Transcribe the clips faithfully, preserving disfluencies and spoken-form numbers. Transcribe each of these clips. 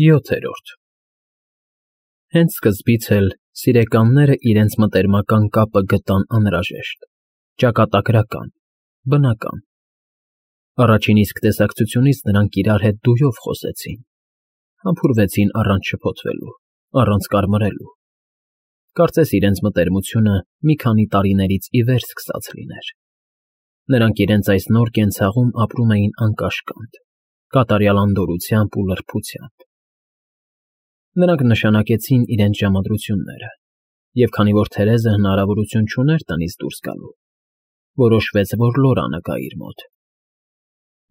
ՅՈԹԵՐՈՐԴ Հենց սկզբից էլ սիրեկանները իրենց մտերմական կապը գտան անհրաժեշտ, ճակատագրական, բնական. առաջին իսկ տեսակցությունից նրանք իրար հետ դույով խոսեցին, համբուրվեցին առանց շփոթվելու, առանց կարմրելու, կարծես իրենց մտերմությունը մի քանի տարիներից ի վեր սկսած լիներ. նրանք իրենց այս նոր կենցաղում ապրում էին անկաշկանդ, կատարյալ անդորրությամբ ու լրբությամբ. նրանք նշանակեցին իրենց ժամադրությունները, և քանի որ Թերեզը հնարավորություն չուներ տնից դուրս գալու, որոշվեց, որ Լորանը գա իր մոտ.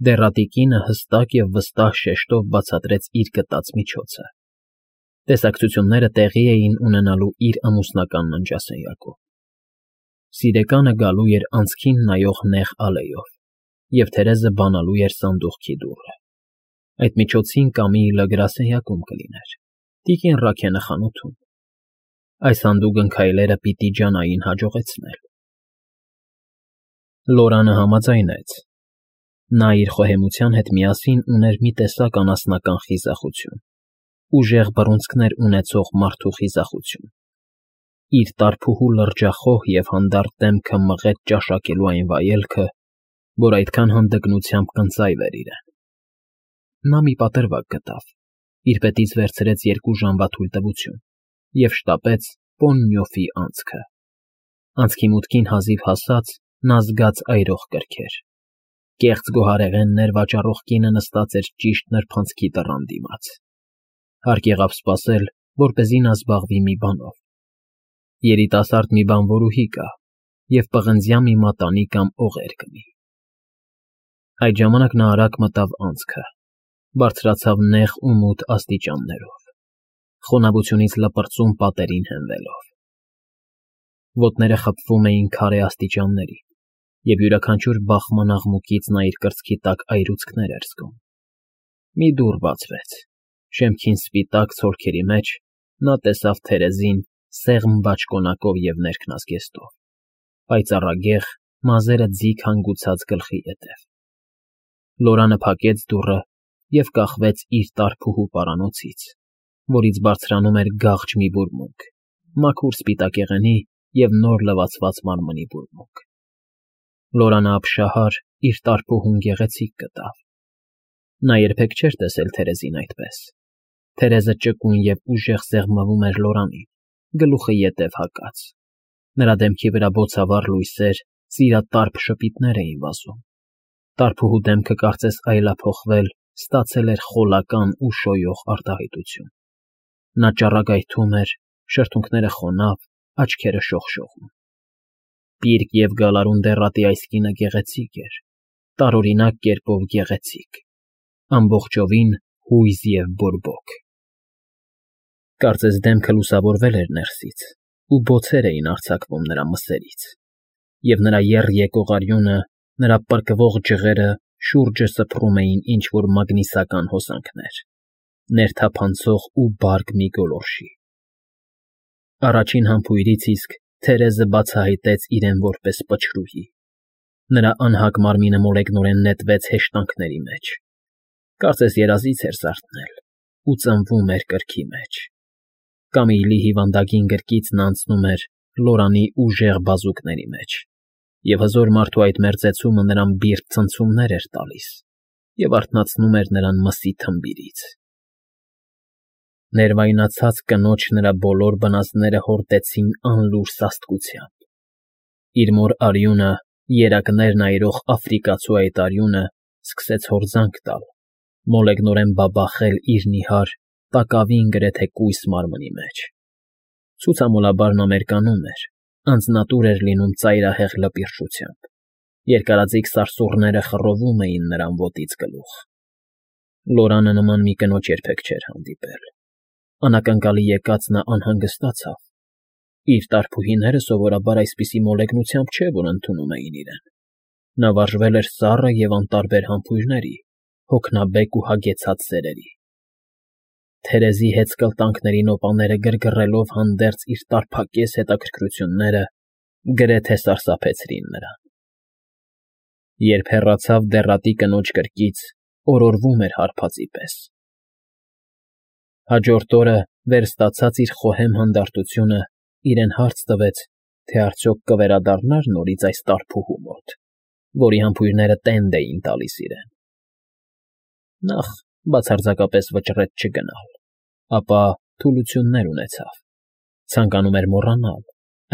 դեռատի կինը հստակ և վստահ շեշտով բացատրեց իր գտած միջոցը. տեսակցությունները տեղի էին ունենալու իր ամուսնական ննջասենյակում. սիրեկանը գալու էր անցքին նայող նեղ ալեյով, և Թերեզը բանալու էր սանդուղքի դուռը. այդ միջոցին Կամիլլը գրասենյակում կլիներ, տիկին Ռաքենը խանութում. այս հանդուգն քայլերը պիտի ջանային հաջողեցնել. Լորանը համաձայնեց. նա իր խոհեմության հետ միասին ուներ մի տեսակ անասնական խիզախություն, ուժեղ բռունցքներ ունեցող մարդու խիզախություն. իր տարփուհու լրջախոհ և հանդարտ դեմքը մղեց ճաշակելու այն վայելքը, որ այդքան հանդգնությամբ կընծայվեր իրեն. նա մի պատրվակ գտավ, իր պետից վերցրեց երկու ժամվա թույլտվություն և շտապեց Պոննյոֆի անցքը. անցքի մուտքին հազիվ հասած, նա զգաց այրող կրքեր. կեղծ գոհարեղեններ վաճառող կինը նստած էր ճիշտ նրբանցքի դռան դիմաց. հարկ եղավ սպասել, որպեսզի նա զբաղվի մի բանով. երիտասարդ մի բանվորուհի կա և պղնձյա մի մատանի կամ օղեր կնի. այդ ժամանակ նա արագ մտավ անցքը, բարձրացավ նեղ ու մութ աստիճաններով, խոնավությունից լպրծուն պատերին հենվելով. ոտները խփվում էին քարե աստիճաններին, և յուրաքանչյուր բախման աղմուկից նա իր կրծքի տակ այրուցքներ էր զգում. մի դուռ բացվեց, շեմքին սպիտակ ցոլքերի մեջ նա տեսավ Թերեզին սեղմ բաճկոնակով և ներքնազգեստով, պայծառագեղ, մազերը ձիգ հանգուցած գլխի ետև. Լորանը փակեց դուռը և կախվեց իր տարփուհու պարանոցից, որից բարձրանում էր գաղջ մի բուրմունք, մաքուր սպիտակեղենի և նոր լվացված մարմնի բուրմունք. Լորանը ապշահար իր տարփուհուն գեղեցիկ գտավ. նա երբեք չէր տեսել Թերեզին այդպես. Թերեզը ճկուն և ուժեղ սեղմվում էր Լորանին, գլուխը ետև հակած. նրա դեմքի վրա բոցավառ լույսեր, սիրատարփ շպիտներ էին վազում. տարփուհու դեմքը կարծես այլափոխվել, ստացել էր խոլական ու շոյող արտահայտություն. նա ճառագայթում էր, շրթունքները խոնավ, աչքերը շողշողում. պիրկ և գալարուն դեռատի այս կինը գեղեցիկ էր, տարօրինակ կերպով գեղեցիկ, ամբողջովին հույզ և բորբոք. Կարծես դեմքը լուսավորվել էր ներսից, ու բոցեր էին արձակվում նրա մսերից, և նրա եռ եկող արյունը, նրա պրկվող ջղերը շուրջը սփռում էին ինչ֊որ մագնիսական հոսանքներ, ներթափանցող ու բարդ մի գոլորշի. առաջին համբույրից իսկ Թերեզը բացահայտեց իրեն որպես պչրուհի. նրա անհագ մարմինը մոլեգնորեն նետվեց հեշտանքների մեջ, կարծես երազից էր զարթնել ու ծնվում էր կրքի մեջ. Կամիլլի հիվանդագին գրկիցն անցնում էր Լորանի ուժեղ բազուկների մեջ, և հզոր մարդու այդ մերձեցումը նրան բիրտ ցնցումներ էր տալիս և արթնացնում էր նրան մսի թմբիրից. ներվայնացած կնոջ նրա բոլոր բնազդները հորդեցին անլուր սաստկությամբ. իր մոր արյունը, երակներն այրող աֆրիկացու այդ արյունը սկսեց հորձանք տալ, մոլեգնորեն բաբախել իր նիհար, տակավին գրեթե կույս մարմնի մեջ. ցուցամոլաբար նա մերկանում էր, անձնատուր էր լինում ծայրահեղ լպիրշությամբ, երկարաձիգ սարսուռները խռովում էին նրան ոտից գլուխ. Լորանը նման մի կնոջ երբեք չէր հանդիպել. անակնկալի եկած նա անհանգստացավ. իր տարփուհիները սովորաբար այսպիսի մոլեգնությամբ չէ, որ ընդունում էին իրեն. նա վարժվել էր սառը և անտարբեր համբույրների, հոգնաբեկ ու հագեցած սերերի. Թերեզի հեծկլտանքների նոպաները գրգռելով հանդերձ իր տարփակես հետաքրքրությունները գրեթե սարսափեցրին նրան. երբ հեռացավ դեռատի կնոջ կրկից, օրորվում էր հարբածի պես. Հաջորդ օրը վեր ստացած իր խոհեմ հանդարտությունը իրեն հարց տվեց, թե արդյոք կվերադառնար նորից այս տարփուհու մոտ, որի համբույրները տենդ էին տալիս իրեն։ Նախ բացարձակապես վճռեց չգնալ, ապա թուլություններ ունեցավ, ցանկանում էր մոռանալ,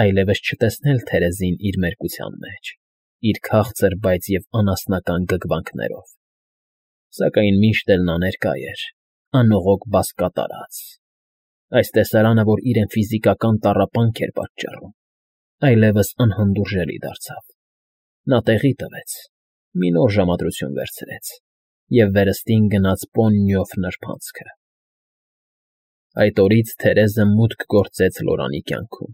այլևս չտեսնել Թերեզին իր մերկության մեջ, իր քաղցր, բայց և անասնական գգվանքներով, սակայն միշտ էլ նա ներկա էր, անողոք բազկատարած։ Այս տեսարանը, որ իրեն ֆիզիկական տառապանք էր պատճառում, այլևս անհանդուրժելի դարձավ։ Նա տեղի տվեց, մի նոր ժամադրություն վերցրեց և վերստին գնաց պոնիով նրբանցքը։ Այդ օրից Թերեզը մուտք գործեց Լորանի կյանքում։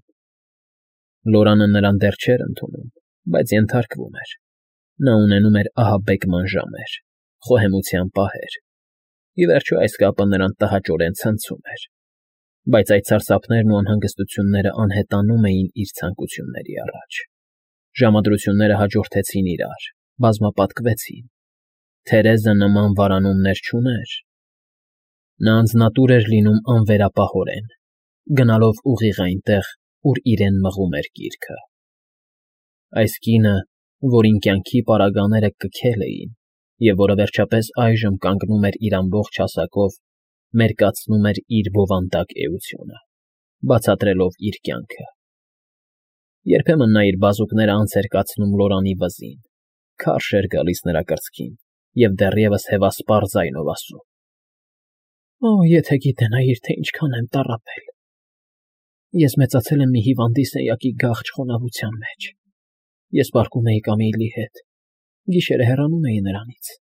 Լորանը նրան դեռ չէր ընդունում, բայց ենթարկվում էր. նա ունենում էր ահաբեկման ժամեր, խոհեմության պահեր, ի վերջո այս կապը նրան տհաճորեն ցնցում էր, բայց այդ սարսափներն ու անհանգստությունները անհետանում էին իր ցանկությունների առաջ։ Ժամադրությունները հաջորդեցին իրար, բազմապատկվեցին։ Թերեզը նման վարանումներ չուներ։ Նա անձնատուր էր լինում անվերապահորեն, գնալով ուղիղ այնտեղ, ուր իրեն մղում էր գիրքը։ Այս կինը, որին կյանքի պարագաները կքել էին, և որը վերջապես այժմ կանգնում էր իր ամբողջ հասակով, մերկացնում էր իր բովանդակ էությունը, բացատրելով իր կյանքը։ Երբեմն նա իր բազուկները անց էր կացնում Լորանի վզին, քարշ էր գալիս նրա կրծքին և դեռևս հևասպառ ձայնով ասում. «Օ, եթե գիտենայիր, թե ինչքան եմ տառապել… Ես մեծացել եմ մի հիվանդի սենյակի գաղջ խոնավության մեջ… Ես պառկում էի Կամիլի հետ, գիշերը հեռանում էի նրանից,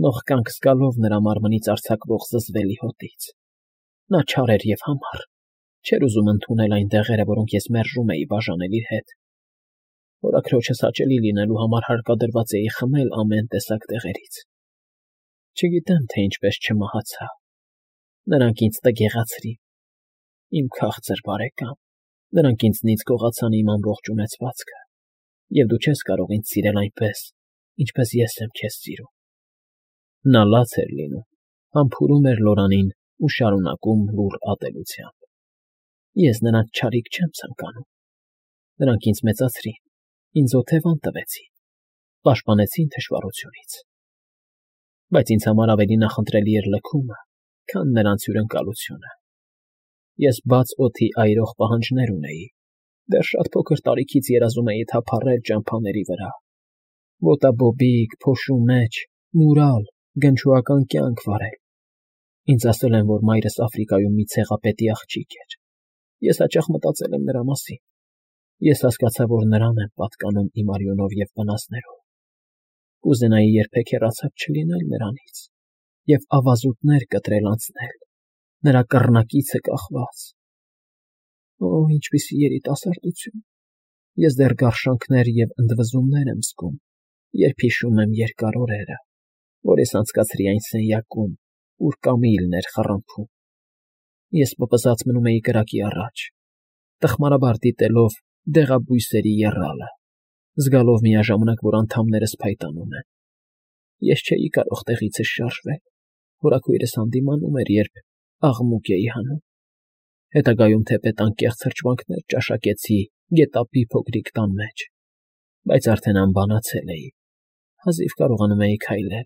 նողկանք զգալով նրա մարմնից արձակվող զզվելի հոտից… Նա չար էր և համառ, չէր ուզում ընդունել այն դեղերը, որոնք ես մերժում էի բաժանել իր հետ… Հորաքրոջս հաճելի լինելու համար հարկադրված էի խմել ամեն տեսակ դեղերից… Չգիտեմ, թե ինչպես չմահացա… Նրանք ինձ տգեղացրին… Իմ քաղցր բարեկամ, նրանք ինձնից գողացան իմ ամբողջ ունեցվածքը… Եվ դու չես կարող ինձ սիրել այնպես, ինչպես ես եմ քեզ սիրում»։ Նա լաց էր լինում, համբուրում էր Լորանին ու շարունակում լուռ ատելությամբ. «Ես նրանց չարիք չեմ ցանկանում… Նրանք ինձ մեծացրին, ինձ օթևան տվեցին, պաշտպանեցին թշվառությունից… Բայց ինձ համար ավելի նախընտրելի էր լքումը, քան նրանց հյուրընկալությունը… Ես բաց օդի այրող պահանջներ ունեի, դեռ շատ փոքր տարիքից երազում էի թափառել ճամփաների վրա, ոտաբոբիկ, փոշու մեջ, մուրալ, գնչուական կյանք վարել… Ինձ ասել են, որ մայրս Աֆրիկայում մի ցեղապետի աղջիկ էր… Ես հաճախ մտածել եմ նրա մասին… Ես հասկացա, որ նրան եմ պատկանում իմ արյունով և վնասներով… Կուզենայի երբեք հեռացած չլինել նրանից և ավազուտներ կտրել անցնել, նրա կռնակիցը կախված… Օ, ինչպիսի երիտասարդություն… Ես դեռ գարշանքներ և ընդվզումներ եմ զգում, երբ հիշում եմ երկար օրերը, որ ես անցկացրի այն սենյակում, ուր Կամիլն էր խռմփում… Ես պպզած մնում էի կրակի առաջ, տխմարաբար դիտելով դեղաբույսերի եռալը, զգալով միաժամանակ, որ անդամներս փայտանում են… Ես չէի կարող տեղիցս շարժվել, հորաքույրս հանդիմանում էր, երբ աղմուկ էի հանում… Հետագայում թեպետ անկեղծ հրճվանքներ ճաշակեցի գետափի փոքրիկ տան մեջ, բայց արդեն անբանացել էի, հազիվ կարողանում էի քայլել,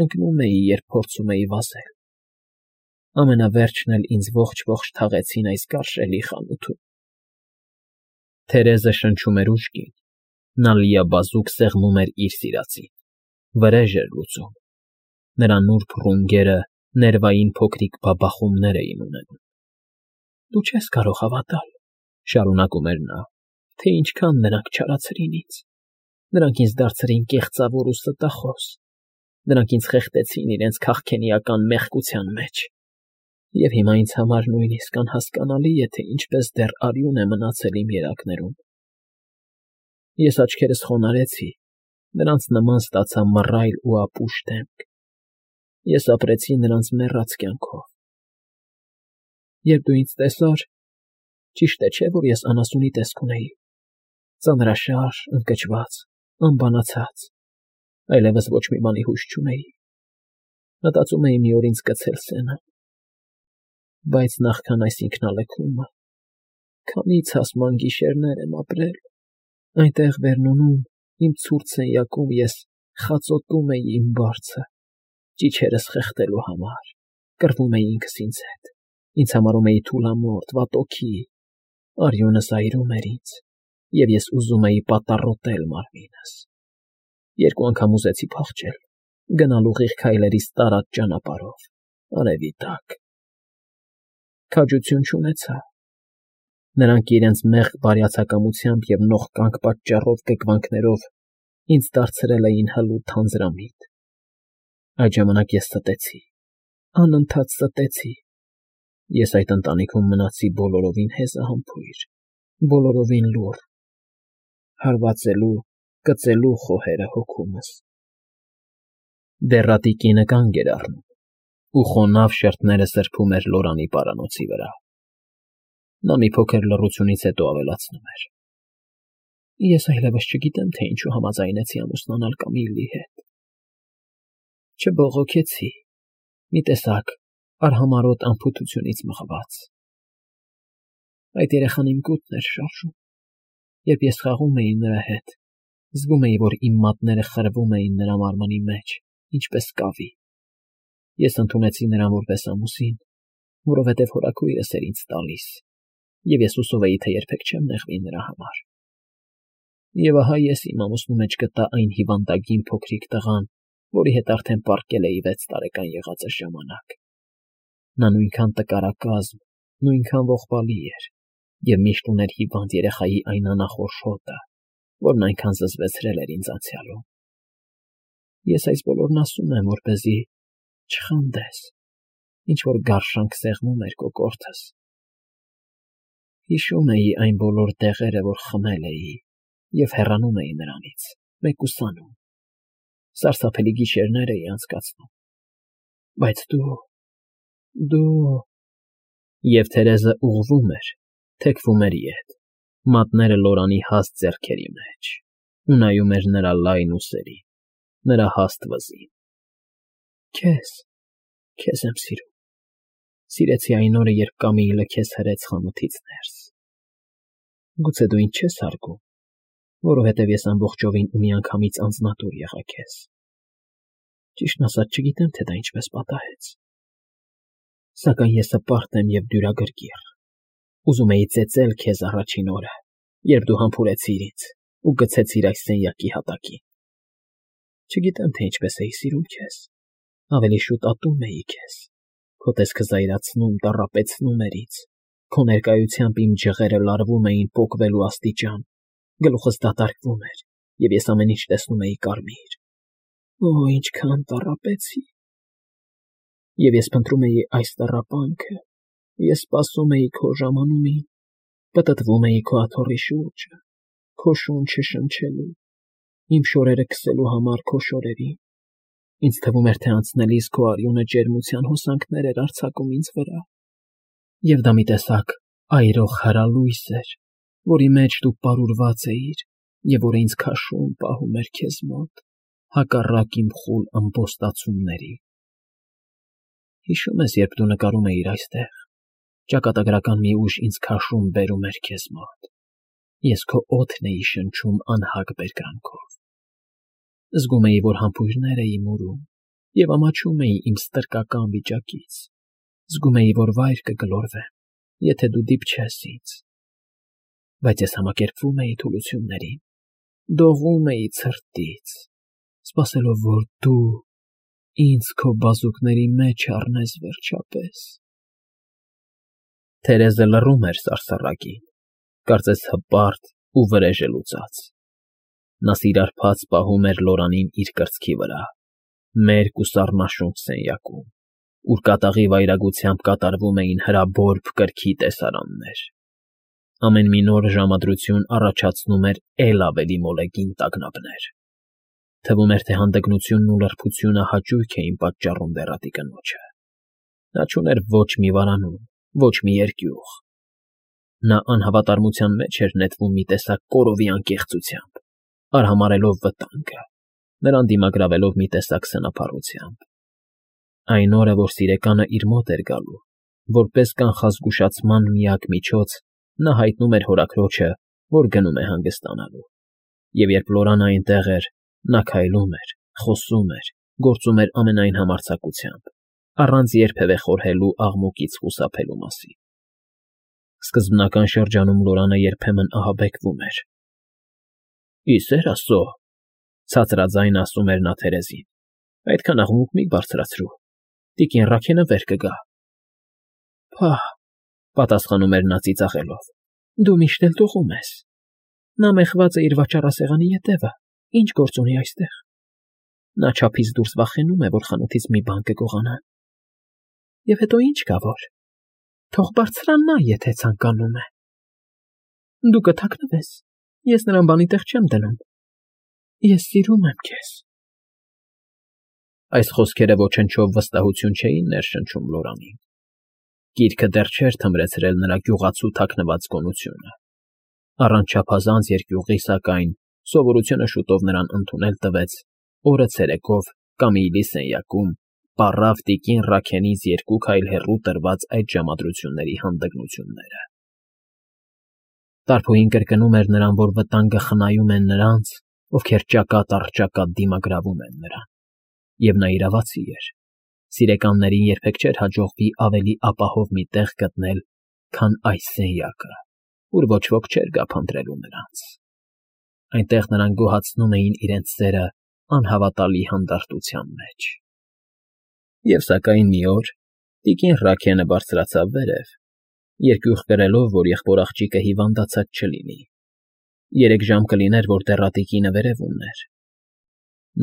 ընկնում էի, երբ փորձում էի վազել… Ամենավերջն էլ ինձ ողջ֊ողջ թաղեցին այս գարշելի խանութում»։ Թերեզը շնչում էր ուժգին, նա լիաբազուկ սեղմում էր իր սիրածին, վրեժ էր լուծում, նրա նուրբ ռունգերը ներվային փոքրիկ բաբախումներ էին ունենում։ «Դու չես կարող հավատալ,֊ շարունակում էր նա,֊ թե ինչքան նրանք չարացրին ինձ… Նրանք ինձ դարձրին կեղծավոր ու ստախոս… Նրանք ինձ խեղդեցին իրենց քաղքենիական մեղքության մեջ… Եվ հիմա ինձ համար նույնիսկ անհասկանալի է, թե ինչպես դեռ արյուն է մնացել իմ երակներում… Ես աչքերս խոնարհեցի, նրանց նման ստացա մռայլ ու ապուշ դեմք… Ես ապրեցի նրանց մեռած կյանքով… Երբ դու ինձ տեսար, ճիշտ է, չէ՞, որ ես անասունի տեսք ունեի… Ծանրաշար, ընկճված, անբանացած, այլևս ոչ մի բանի հույս չունեի… Մտածում էի մի օր ինձ կցել սենը… Բայց նախքան այս ինքնալքումը, քանի՜ց հասման գիշերներ եմ ապրել, այնտեղ Վերնոնում, իմ ցուրտ սենյակում ես խածոտում էի իմ բարձը, ճիչերս խեղդելու համար, կռվում էի ինքս ինձ հետ, ինձ համարում էի թուլամորթ, վատօքի, արյունս այրում էր ինձ, և ես ուզում էի պատառոտել մարմինս, երկու անգամ ուզեցի փախչել, գնալ ուղիղ քայլերիս տարած ճանապարհով, արևի տակ, քաջություն չունեցա, նրանք իրենց մեղմ բարյացակամությամբ և նողկանք պատճառով կկվանքներով ինձ դարձրել էին հլուտ թանձրամիտ, այդ ժամանակ ես ստեցի, անընդհատ ստեցի, ես այդ ընտանիքում մնացի բոլորովին հեզահամբույր, բոլորովին լուռ, հարվածելու, կծելու խոհերը հոգումս։ Դեռատի կինը կանգ էր առնում ու խոնավ շրթները սրբում էր Լորանի պարանոցի վրա։ Նա մի փոքր լռությունից հետո ավելացնում էր. Ես այլևս չգիտեմ, թե ինչու համաձայնեցի ամուսնանալ Կամիլլի հետ։ Չբողոքեցի, մի տեսակ արհամարհոտ անփութությունից մղված։ Այդ երեխան իմ գուտն էր շարժում, երբ ես խաղում էի նրա հետ, զգում էի, որ իմ մատները խրվում էին նրա մարմնի մեջ, ինչպես կավի։ Ես ընդունեցի նրան որպես ամուսին, որովհետև հորաքույրս էր ինձ տալիս, և ես հուսով էի, թե երբեք չեմ նեղվի նրա համար։ Եվ ահա ես իմ ամուսնու մեջ գտա այն հիվանդագին փոքրիկ տղան, որի հետ արդեն պառկել էի վեց տարեկան եղածս ժամանակ։ Նա նույնքան տկարակազմ, նույնքան ողբալի էր, և միշտ ուներ հիվանդ երեխայի այն անախորժ հոտը, որն այնքան զզվեցրել էր ինձ անցյալում։ Ես այս բոլորն ասում եմ, որպեսզի չխանդես, ինչ-որ գարշանք սեղմում էր կոկորդս։ Հիշում էի այն բոլոր տեղերը, որ խմել էի, և հեռանում էի նրանից, մեկուսանում, սարսափելի գիշերներ էի անցկացնում։ Բայց դու… դու… Եվ Թերեզը ուղղվում էր, թեքվում էր ետ, մատները Լորանի հաստ ձեռքերի մեջ, ու նայում էր նրա լայն ուսերին, նրա հաստ վզին։ Քեզ… քեզ եմ սիրում, սիրեցի այն օրը, երբ Կամիլլը քեզ հրեց խանութից ներս։ Գուցե դու ինձ չես հարգում, որովհետև ես ամբողջովին ու միանգամից անձնատուր եղա քեզ։ Ճիշտն ասած, չգիտեմ, թե դա ինչպես պատահեց։ Սակայն ես հպարտ եմ և դյուրագրգիռ, ուզում էի ծեծել քեզ առաջին օրը, երբ դու համբուրեցիր ինձ ու գցեցիր այս սենյակի հատակին։ Չգիտեմ, թե ինչպես էի սիրում քեզ, ավելի շուտ ատում էի քեզ, քո տեսքը զայրացնում, տառապեցնում էր ինձ, քո ներկայությամբ իմ ջղերը լարվում էին պոկվելու աստիճան, գլուխս դատարկվում էր, և ես ամեն ինչ տեսնում էի կարմիր։ Օ, ինչքան տառապեցի… Եվ ես փնտրում էի այս տառապանքը, ես սպասում էի քո ժամանումին, պտտվում էի քո աթոռի շուրջը, քո շունչը շնչելու, իմ շորերը քսելու համար քո շորերին, ինձ թվում էր, թե անցնելիս քո արյունը ջերմության հոսանքներ էր արձակում ինձ վրա, և դա մի տեսակ այրող հրալույս էր, որի մեջ դու պարուրված էիր, և որը ինձ քաշում, պահում էր քեզ մոտ, հակառակ իմ խուլ ըմբոստացումների։ Հիշո՞ւմ ես, երբ դու նկարում էիր այստեղ, ճակատագրական մի ուժ ինձ քաշում բերում էր քեզ մոտ, ես քո օդն էի շնչում անհագ բերկրանքով։ Զգում էի, որ համբույրներ էի մուրում, և ամաչում էի իմ ստրկական վիճակից, զգում էի, որ վայր կգլորվեմ, եթե դու դիպչես ինձ։ Բայց ես համակերպվում էի թուլություններին, դողում էի ցրտից, սպասելով, որ դու ինձ քո բազուկների մեջ առնես վերջապես։ Թերեզը լռում էր սարսռակին, կարծես հպարտ ու վրեժը լուծած։ Նա սիրարփած պահում էր Լորանին իր կրծքի վրա, մերկ ու սառնաշունչ սենյակում, ուր կատաղի վայրագությամբ կատարվում էին հրաբորբ կրքի տեսարաններ։ Ամեն մի նոր ժամադրություն առաջացնում էր էլ ավելի մոլեգին տագնապներ։ Թվում էր, թե հանդգնությունն ու լրբությունը հաճույք էին պատճառում դեռատի կնոջը։ Նա չուներ ոչ մի վարանուն, ոչ մի երկյուղ։ Նա անհավատարմության մեջ էր նետվում մի տեսակ կորովի անկեղծությամբ, արհամարհելով վտանգը, նրան դիմագրավելով մի տեսակ սնափառությամբ։ Այն օրը, որ սիրեկանը իր մոտ էր գալու, որպես կանխազգուշացման միակ միջոց նա հայտնում էր հորաքրոջը, որ գնում է հանգստանալու, և երբ Լորան այնտեղ էր, նա քայլում էր, խոսում էր, գործում էր ամենայն համարձակությամբ, առանց երբևէ խորհելու աղմուկից խուսափելու մասին։ Սկզբնական շրջանում Լորանը երբեմն ահաբեկվում էր։ ֊ Ի սեր Աստծո,֊ ցածրաձայն ասում էր նա Թերեզին,֊ այդքան աղմուկ մի բարձրացրու, տիկին Ռաքենը վեր կգա։ ֊ Փահ,֊ պատասխանում էր նա ծիծաղելով,֊ դու միշտ էլ տողում ես։ Նա մեխված է իր վաճառասեղանի ետևը, ինչ գործ ունի այստեղ։ Նա չափից դուրս վախենում է, որ խանութից մի բան կգողանան։ Եվ հետո ինչ կա որ… Թող բարձրանա, եթե ցանկանում է։ Դու կթաքնվես, ես նրան բանի տեղ չեմ դնում։ Ես սիրում եմ քեզ։ Այս խոսքերը ոչնչով վստահություն չէին ներշնչում Լորանին։ Գիրքը դեռ չէր թմրեցրել նրա գյուղացու թաքնված գոնությունը։ Առանց չափազանց երկյուղի, սակայն, սովորությունը շուտով նրան ընդունել տվեց օրը ցերեկով Կամիլի սենյակում պառավ տիկին Ռաքենից երկու քայլ հեռու տրված այդ ժամադրությունների հանդգնությունները։ Տարփոյին կրկնում էր նրան, որ վտանգը խնայում են նրանց, ովքեր ճակատ առ ճակատ դիմագրավում են նրան, և նա իրավացի էր։ Սիրեկաններին երբեք չէր հաջողվի ավելի ապահով մի տեղ գտնել, քան այս սենյակը, ուր ոչ ոք չէր գա փնտրելու նրանց։ Այնտեղ նրանք գոհացնում էին իրենց սերը անհավատալի հանդարտության մեջ։ Եվ սակայն մի օր տիկին Ռաքենը բարձրացավ վերև, երկյուղ կրելով, որ եղբոր աղջիկը հիվանդացած չլինի։ Երեք ժամ կլիներ, որ դեռատիկինը վերևում էր։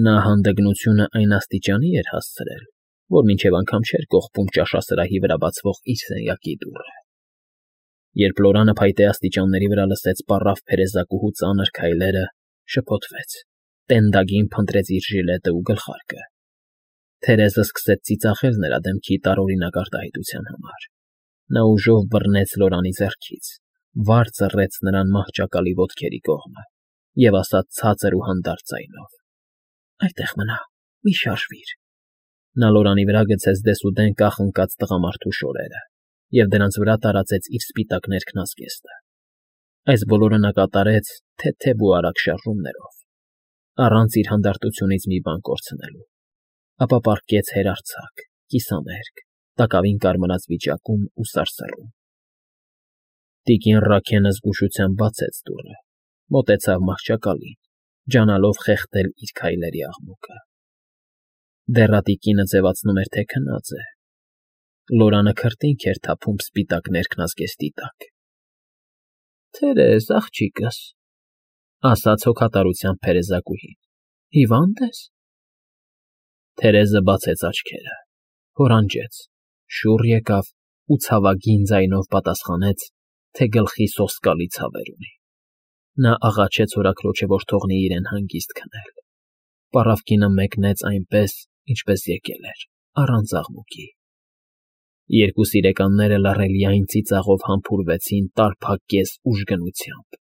Նա հանդգնությունը այն աստիճանի էր հասցրել, որ մինչև անգամ չէր կողպում ճաշասրահի վրա բացվող իր սենյակի դուռը։ Երբ Լորանը փայտե աստիճանների վրա լսեց պառավ փերեզակուհու ծանր քայլերը, շփոթվեց, տենդագին փնտրեց իր ժիլետը ու գլխարկը։ Թերեզը սկսեց ծիծաղել նրա դեմքի տարօրինակ արտահայտության համար։ Նա ուժով բռնեց Լորանի ձեռքից, վար ծռեց նրան մահճակալի ոտքերի կողմը և ասաց ցածր ու հանդարտ ձայնով. «Այդտեղ մնա, մի շարժվիր»։ Նա Լորանի վրա գցեց դեսուդեն կախ ընկած տղամարդու շորերը և դրանց վրա տարածեց իր սպիտակ ներքնազգեստը։ Այս բոլորը նա կատարեց թեթև ու արագ շարժումներով, առանց իր հանդարտությունից մի բան կորցնելու, ապա պառկեց հերարձակ, կիսամերկ, տակավին կարմրած վիճակում ու սարսռում։ Տիկին Ռաքենը զգուշությամբ բացեց դուռը, մոտեցավ մահճակալին, ջանալով խեղդել իր քայլերի աղմուկը։ Դեռատիկինը ձևացնում էր, թե քնած է։ Լորանը քրտինք էր թափում սպիտակ ներքնազգեստի տակ։ ֊ Թերեզ, աղջիկս,֊ ասաց հոգատարությամբ փերեզակուհին,֊ հիվա՞նդ ես։ Թերեզը բացեց աչքերը, հորանջեց, շուռ եկավ ու ցավագին ձայնով պատասխանեց, թե գլխի սոսկալի ցավեր ունի։ Նա աղաչեց հորաքրոջը, որ թողնի իրեն հանգիստ քնել։ Պառավ կինը մեկնեց այնպես, ինչպես եկել էր, առանց աղմուկի։ Երկու սիրեկանները լռելիայն ծիծաղով համբուրվեցին տարփակկեզ ուժգնությամբ։ ֊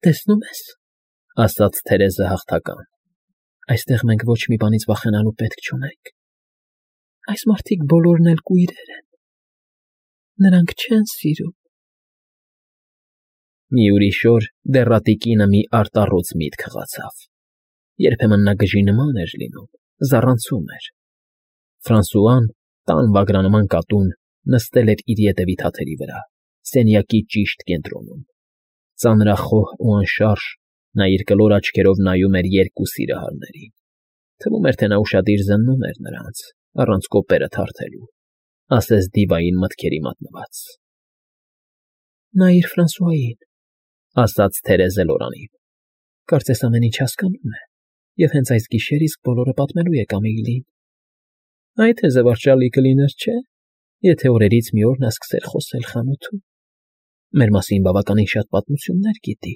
Տեսնում ես,֊ ասաց Թերեզը հաղթական,֊ այստեղ մենք ոչ մի բանից վախենալու պետք չունենք։ Այս մարդիկ բոլորն էլ կույրեր են։ Նրանք չեն սիրում։ Մի ուրիշ օր դեռատիկինը մի արտառոց միտք խղացավ։ Երբեմն նա գժի նման էր լինում, զառանցում էր։ Ֆրանսուան, տան վագրանման կատուն, նստել էր իր ետևի թաթերի վրա, սենյակի ճիշտ կենտրոնում։ Ծանրախոհ ու անշարժ նա իր կլոր աչքերով նայում էր երկու սիրահարներին։ Թվում էր, թե նա ուշադիր զննում էր նրանց, առանց կոպերը թարթելու, ասես դիվային մտքերի մատնված։ ֊ Նայիր Ֆրանսուային,֊ ասաց Թերեզը Լորանին,֊ կարծես ամեն ինչ հասկանում է, և հենց այս գիշեր իսկ բոլորը պատմելու է Կամիլին։ Այ թե զվարճալի կլիներ, չէ՞, եթե օրերից մի օր նա սկսեր խոսել խանութում։ Մեր մասին բավականին շատ պատմություններ գիտի։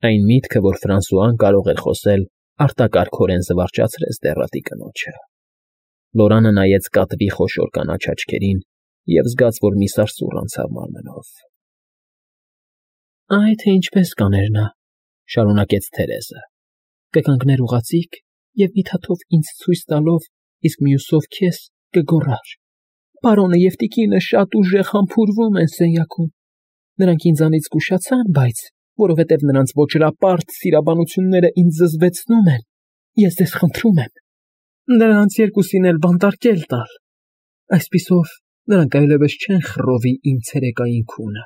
Այն միտքը, որ Ֆրանսուան կարող էր խոսել, արտակարգորեն զվարճացրեց դեռատի կնոջը։ Լորանը նայեց կատվի խոշոր կանաչ աչքերին և զգաց, որ մի սարսուռ անցավ մարմնով։ ֊ Այ թե ինչպես կաներ նա,֊ շարունակեց Թերեզը,֊ կկանգներ ուղղաձիգ և մի թաթով ինձ ցույց տալով, իսկ մյուսով քեզ կգոռար. Պարոնը և տիկինը շատ ուժեղ համբուրվում են սենյակում. նրանք ինձանից զգուշացան, բայց, որովհետև նրանց ոճրապարտ սիրաբանությունները ինձ զզվեցնում են, ես ձեզ խնդրում եմ նրանց երկուսին էլ բանտարկել տալ, այսպիսով նրանք այլևս չեն խռովի իմ ցերեկային քունը։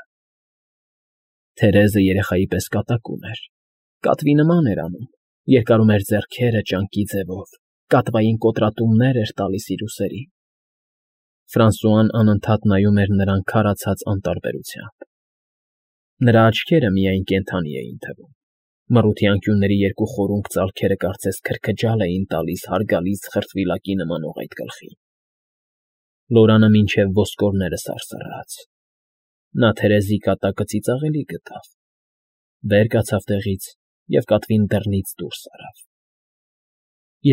Թերեզը երեխայի պես կատակում էր, կատվի նման էր անում, երկարում էր ձեռքերը ճանկի ձևով, կատվային կոտրատումներ էր տալիս իր ուսերին։ Ֆրանսուան անընդհատ նայում էր նրան քարացած անտարբերությամբ։ Նրա աչքերը միայն կենդանի էին թվում, մռութի անկյունների երկու խորունկ ծալքերը կարծես քրքջալ էին տալիս հարգալից խրտվիլակի նմանող այդ գլխին։ Լորանը մինչև ոսկորները սարսռաց։ Նա Թերեզի կատակը ծիծաղելի գտավ, վեր կացավ տեղից և կատվին դռնից դուրս արավ։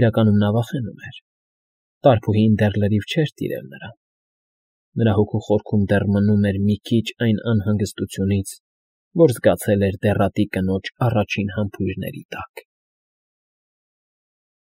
Իրականում նա վախենում էր։ Տարփուհին դեռ լրիվ չէր տիրել նրան։ Նրա հոգու խորքում դեռ մնում էր մի քիչ այն անհանգստությունից, որ զգացել էր դեռատի կնոջ առաջին համբույրների տակ։